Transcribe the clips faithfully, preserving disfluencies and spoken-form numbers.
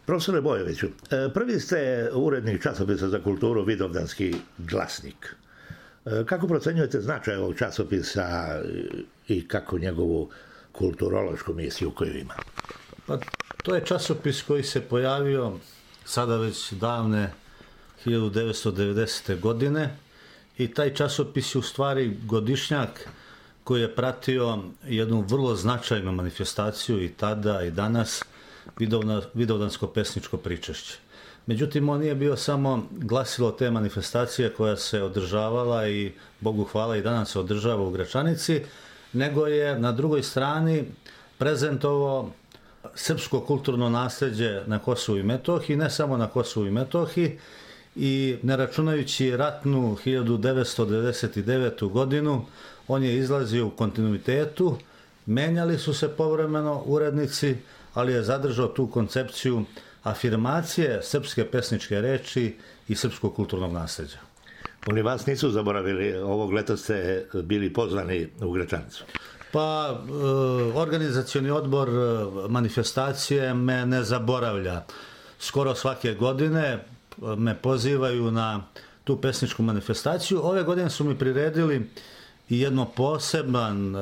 Profesore Bojoviću, prvi ste urednik časopisa za kulturu Vidovdanski glasnik. Kako procenjujete značaj ovog časopisa i kako njegovu kulturološku misiju koju ima? Pa, to je časopis koji se pojavio sada već davne hiljadu devetsto devedesete. godine i taj časopis je u stvari godišnjak koji je pratio jednu vrlo značajnu manifestaciju i tada i danas, Vidovdansko pesničko pričešće. Međutim, on nije bio samo glasilo te manifestacije koja se održavala i Bogu hvala i danas se održava u Gračanici, nego je na drugoj strani prezentovao srpsko kulturno nasljeđe na Kosovu i Metohiji, ne samo na Kosovu i Metohiji, i ne računajući ratnu hiljadu devetsto devedeset devetu. godinu, on je izlazio u kontinuitetu, menjali su se povremeno urednici, ali je zadržao tu koncepciju afirmacije srpske pesničke reči i srpskog kulturnog nasljeđa. Oni vas nisu zaboravili, ovog leta ste bili pozvani u Gračanicu. Pa, e, organizacioni odbor manifestacije me ne zaboravlja. Skoro svake godine me pozivaju na tu pesničku manifestaciju. Ove godine su mi priredili i jedno poseban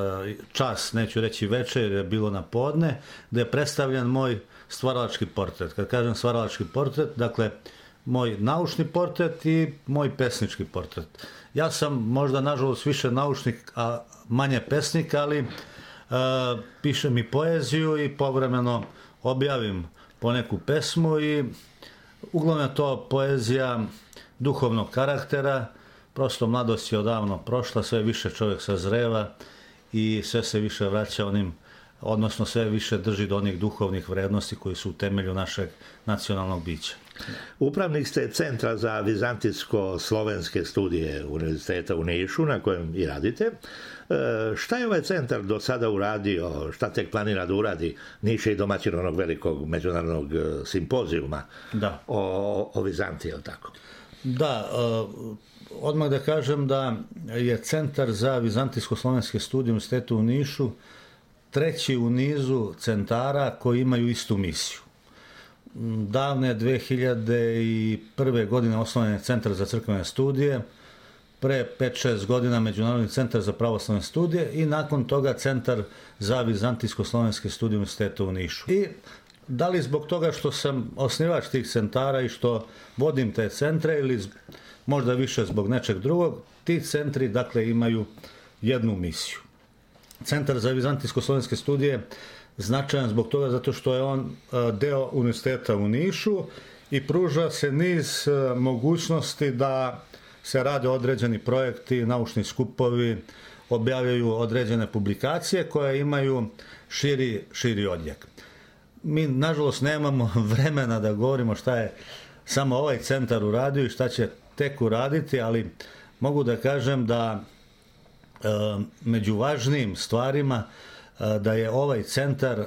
čas, neću reći večer, jer je bilo na podne, gde je predstavljen moj stvaralački portret. Kad kažem stvaralački portret, dakle, moj naučni portret i moj pesnički portret. Ja sam možda, nažalost, više naučnik, a manje pesnik, ali e, pišem i poeziju i povremeno objavim poneku pesmu i uglavnom je to poezija duhovnog karaktera. Prosto mladost je odavno prošla, sve više čovjek sazreva i sve se više vraća onim, odnosno sve više drži do onih duhovnih vrednosti koji su u temelju našeg nacionalnog bića. Upravnik ste Centra za vizantijsko-slovenske studije Univerziteta u Nišu, na kojem i radite. E, šta je ovaj centar do sada uradio, šta tek planira da uradi? Niš je i domaćin onog velikog međunarodnog simpozijuma da. o, o Vizantiji, je li tako? Da, odmah da kažem da je Centar za vizantijsko-slovenske studije Univerziteta u Nišu treći u nizu centara koji imaju istu misiju. Davne dve hiljade prve. godine osnovan je Centar za crkvene studije, pre pet šest godina Međunarodni centar za pravoslavne studije i nakon toga Centar za vizantijsko-slovenske studije Univerziteta u Nišu. I da li zbog toga što sam osnivač tih centara i što vodim te centre ili možda više zbog nečeg drugog, ti centri dakle imaju jednu misiju. Centar za vizantijsko-slovenske studije značajan zbog toga zato što je on deo Univerziteta u Nišu i pruža se niz mogućnosti da se rade određeni projekti, naučni skupovi, objavljaju određene publikacije koje imaju širi, širi odjek. Mi, nažalost, nemamo vremena da govorimo šta je samo ovaj centar uradio i šta će tek uraditi, ali mogu da kažem da e, među važnijim stvarima e, da je ovaj centar e,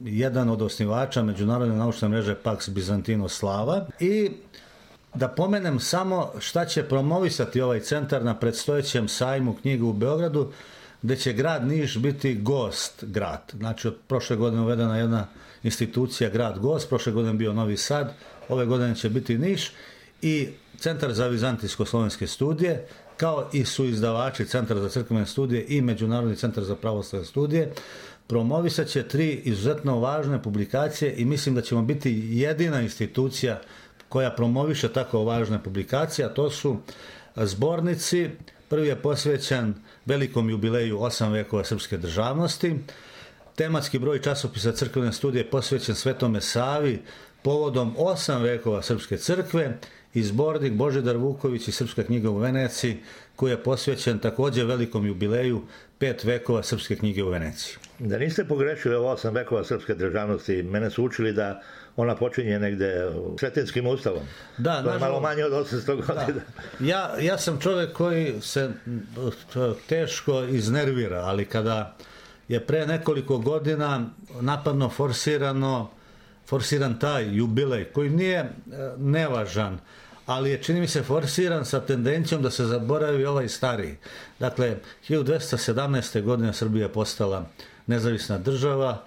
jedan od osnivača Međunarodne naučne mreže Pax Byzantino Slava i da pomenem samo šta će promovisati ovaj centar na predstojećem sajmu knjiga u Beogradu, gde će grad Niš biti gost grad. Znači, od prošle godine uvedena jedna institucija grad gost, prošle godine bio Novi Sad, ove godine će biti Niš i Centar za vizantijsko-slovenske studije, kao i su izdavači Centar za crkvene studije i Međunarodni centar za pravoslavne studije, promovisat će tri izuzetno važne publikacije i mislim da ćemo biti jedina institucija koja promoviše tako važne publikacije, a to su zbornici. Prvi je posvećen velikom jubileju osam vekova srpske državnosti. Tematski broj časopisa crkvene studije posvećen Svetome Savi povodom osam vekova srpske crkve i zbornik Božidar Vuković i Srpska knjiga u Veneciji, koji je posvećen također velikom jubileju pet vekova srpske knjige u Veneciji. Da niste pogrešili ovo osam vekova srpske državnosti, mene su učili da ona počinje negde Sretinskim ustavom. Da, to je malo manje od osamsto godina. Da. Ja, ja sam čovjek koji se teško iznervira, ali kada je pre nekoliko godina napadno forsirano forsiran taj jubilej, koji nije nevažan, ali je, čini mi se, forsiran sa tendencijom da se zaboravi ovaj stariji. Dakle, hiljadu dvesta sedamnaeste. godine Srbija je postala nezavisna država,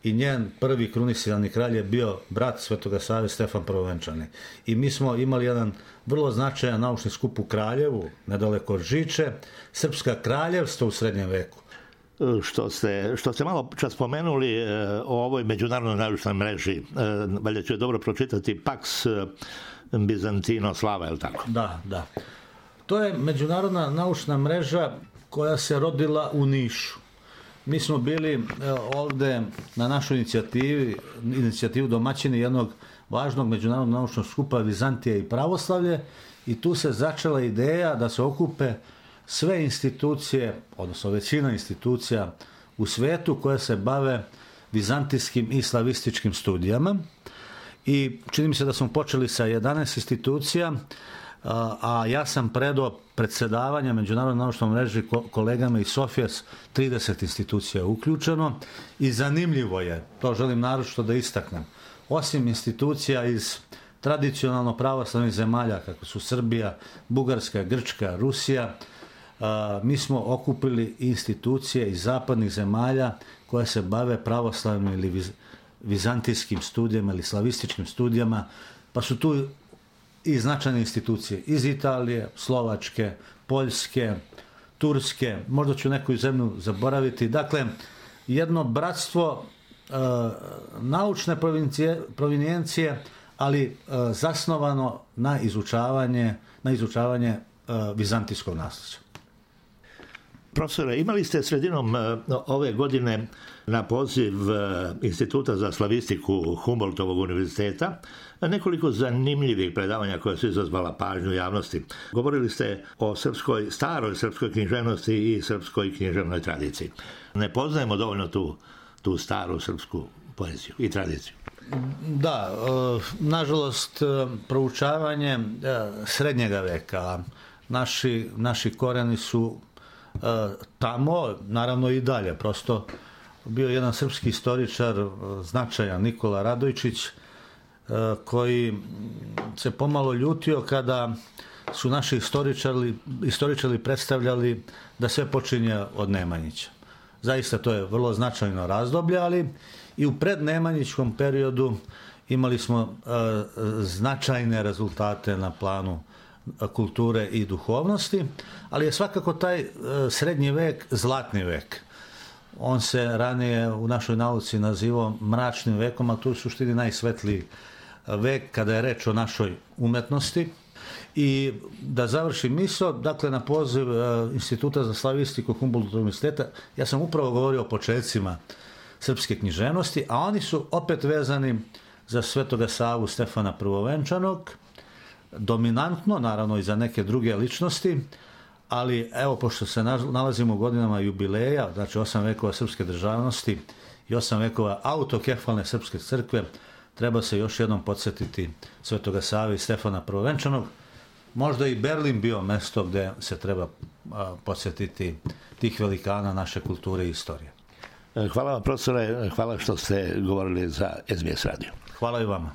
i njen prvi krunisirani kralj je bio brat Svetoga Save, Stefan Prvovenčani. I mi smo imali jedan vrlo značajan naučni skup u Kraljevu, nedaleko od Žiče, Srpska kraljevstva u srednjem veku. Što ste, što ste malo čas spomenuli e, o ovoj međunarodnoj naučnoj mreži, e, valjda ću je dobro pročitati, Pax Bizantino Slava, je li tako? Da, da. To je međunarodna naučna mreža koja se rodila u Nišu. Mi smo bili e, ovde na našoj inicijativi, inicijativu domaćini jednog važnog međunarodnog naučnog skupa Vizantija i pravoslavlje, i tu se začela ideja da se okupe sve institucije, odnosno većina institucija u svetu koje se bave vizantijskim i slavističkim studijama. I čini mi se da smo počeli sa jedanaest institucija, a ja sam predao predsedavanja Međunarodnoj naučnoj mreži kolegama iz Sofije, trideset institucija uključeno, i zanimljivo je, to želim naročito da istaknem, osim institucija iz tradicionalno pravoslavnih zemalja kako su Srbija, Bugarska, Grčka, Rusija, mi smo okupili institucije iz zapadnih zemalja koje se bave pravoslavnim ili viz, vizantijskim studijama ili slavističkim studijama, pa su tu i značajne institucije iz Italije, Slovačke, Poljske, Turske, možda ću neku zemlju zaboraviti. Dakle, jedno bratstvo e, naučne provinijencije, ali e, zasnovano na izučavanje, na izučavanje e, vizantijskog nasljeđa. Profesore, imali ste sredinom ove godine na poziv Instituta za slavistiku Humboldtovog univerziteta nekoliko zanimljivih predavanja koja su izazvala pažnju javnosti. Govorili ste o srpskoj, staroj srpskoj književnosti i srpskoj književnoj tradiciji. Ne poznajemo dovoljno tu, tu staru srpsku poeziju i tradiciju. Da, nažalost, proučavanje srednjega veka, naši, naši koreni su tamo, naravno i dalje, prosto bio jedan srpski istoričar značajan, Nikola Radojčić, koji se pomalo ljutio kada su naši istoričari, istoričari predstavljali da sve počinje od Nemanjića. Zaista to je vrlo značajno razdoblje, ali i u prednemanjićkom periodu imali smo značajne rezultate na planu kulture i duhovnosti, ali je svakako taj srednji vek zlatni vek. On se ranije u našoj nauci nazivao mračnim vekom, a to je u suštini najsvetliji vek kada je reč o našoj umetnosti. I da završim misao, dakle na poziv Instituta za slavistiku Humboldtovog univerziteta, ja sam upravo govorio o početcima srpske književnosti, a oni su opet vezani za Svetoga Savu Stefana Prvovenčanog, dominantno, naravno i za neke druge ličnosti, ali evo, pošto se nalazimo u godinama jubileja, znači osam vekova srpske državnosti i osam vekova autokefalne srpske crkve, treba se još jednom podsjetiti Svetoga Save i Stefana Prvovenčanog. Možda i Berlin bio mesto gde se treba podsjetiti tih velikana naše kulture i istorije. Hvala vam, profesore, hvala što ste govorili za S B S radio. Hvala i vama.